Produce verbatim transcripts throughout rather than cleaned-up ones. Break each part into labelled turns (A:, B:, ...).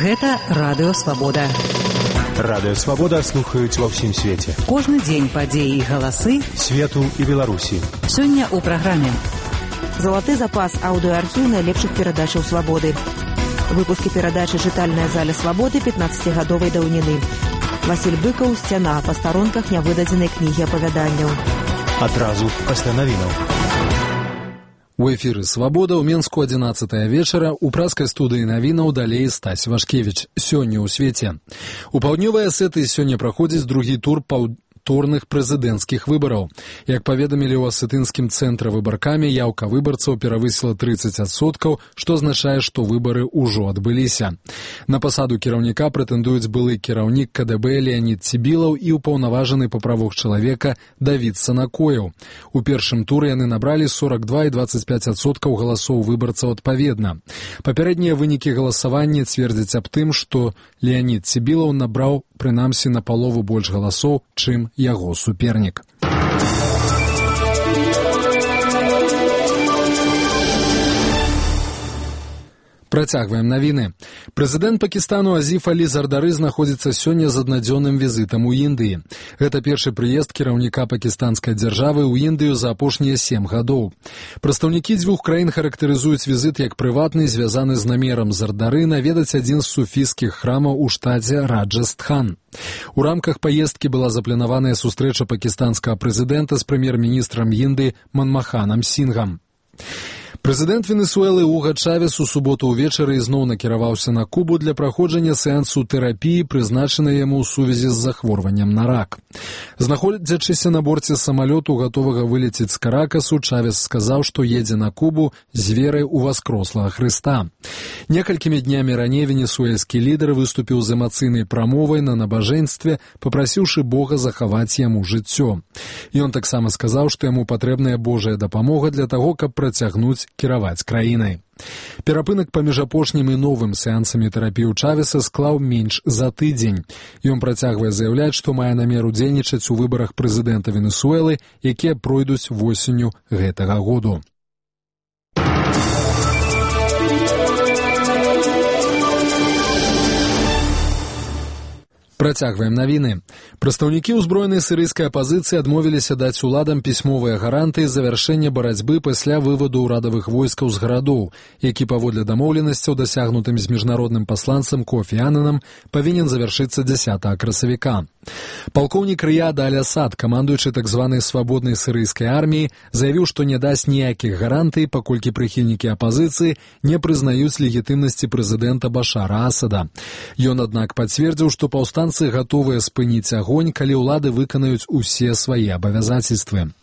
A: Гэта Радыё Свабода.
B: Радыё Свабода слухаюць ва ўсім свеце.
A: Кожны дзень падзеі і галасы
B: свету і Беларусі.
A: Сёння ў праграме
C: залаты запас аўдыоархіў найлепшых перадачаў Свабоды. Выпускі перадачы «Чытальная заля Свабоды» пятнаццацігадовай даўніны. Васіль Быкаў «Сцяна» па старонках нявыдадзенай кнігі апавяданняў.
B: Адразу пасля навінаў.
D: У эфіры «Свабода» ў Менску адзінаццатая вечара, у праскай студыі навінаў далей Стась Вашкевіч. Сёння ў свеце. У паўднёвай Асетыі сёння праходзіць другі тур паўднёвых турных прэзідэнцкіх выбараў. Як паведамілі ў асетынскім цэнтры выбаркамі, яўка выбарцаў перавысіла трыццаць адсоткаў, што азначае, што выбары ўжо адбыліся. На пасаду кіраўніка прэтэндуюць былы кіраўнік ка дэ бэ Леанід Цібілаў і ўпаўнаважаны па правах чалавека Давід Санакоеў. У першым туры яны набралі сорак два і дваццаць пяць адсоткаў галасоў выбарцаў адпаведна. Папярэднія вынікі галасавання цвердзяць аб тым, што Леанід Цібілаў набраў прынамсі на палову больш галасоў, чым яго супернік. Працягваем навіны. Прэзідэнт Пакістану Азіф Алі Зардары знаходзіцца сёння з аднадзённым візітам у Індыі. Гэта першы прыезд кіраўніка пакістанскай дзяржавы ў Індыю за апошнія сем гадоў. Прадстаўнікі дзвюх краін характарызуюць візіт як прыватны, звязаны з намерам Зардары наведаць адзін з суфійскіх храмаў у штаце Раджастхан. У рамках паездкі была запланаваная сустрэча пакістанскага прэзідэнта з прэм'ер-міністрам Індыі Манмаханам Сінгам. Прэзідэнт Венесуэлы Уга Чавес у суботу ўвечары ізноў накіраваўся на Кубу для праходжання сеансу тэрапіі, прызначанай яму ў сувязі з захворваннем на рак. Знаходзячыся на борце самалёту, гатовага вылецець з Каракасу, Чавес сказаў, што едзе на Кубу з верай у васкрослага Хрыста. Некалькімі днямі раней венесуэльскі лідар выступіў з эмацыйнай прамовай на набажэнстве, папрасіўшы Бога захаваць яму жыццё. Ён таксама сказаў, што яму патрэбная Божая дапамога для таго, каб працягнуць кіраваць краінай. Перапынак паміж апошнім і новым сеансамі тэрапіі ў Чавеса склаў менш за тыдзень. Ён працягвае заяўляць, што мае намер удзельнічаць у выбарах прэзідэнта Венесуэлы, якія пройдуць восенню гэтага году. Працягваем навіны. Прадстаўнікі ўзброенай сірыйскай апазіцыі адмовіліся даць уладам пісьмовыя гарантыі завяршэння барацьбы пасля вываду ўрадавых войскаў з гарадоў, які паводле дамоўленасцяў, дасягнутым з міжнародным пасланцам Кофі Ананам, павінен завяршыцца дзясятага красавіка. Палкоўнік Рыяд Аль-Асад, камандуючы так званай свабоднай сірыйскай арміяй, заявіў, што не дасць ніякіх гарантый, паколькі прыхільнікі апазіцыі не прызнаюць легітымнасці прэзідэнта Башара Асада. Ён, аднак, пацвердзіў, што паўстанцы гатовыя спыніць агонь, калі ўлады выканаюць усе свае абавязацельствы.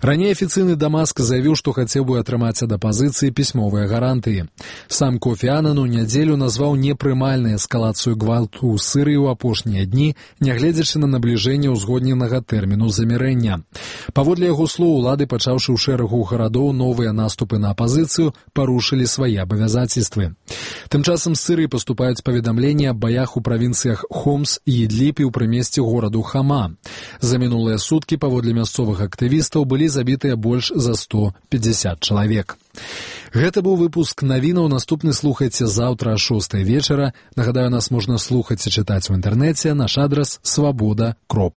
D: Раней афіцыйны Дамаск заявіў, што хацеў бы атрымаць ад апазіцыі пісьмовыя гарантыі. Сам Кофі Анан у нядзелю назваў непрымальнай эскалацыю гвалту ў Сірыі ў апошнія дні, нягледзячы на набліжэнне ўзгодненага тэрміну замірэння. Паводле яго слоў, улады, пачаўшы ў шэрагу гарадоў новыя наступы на апазіцыю, парушылі свае абавязацельствы. Тым часам з Сірыі паступаюць паведамленні аб баях у правінцыях Хомс і Ідліб і ў прымесці гораду Хама. За мінулыя суткі, паводле мясцовых актывістаў, былі забітыя больш за сто пятьдесят чалавек. Гэта быў выпуск навінаў. Наступны слухайце заўтра о шостай вечара. Нагадаю, нас можна слухаць і чытаць у інтэрнэце. Наш адрас свабода кропка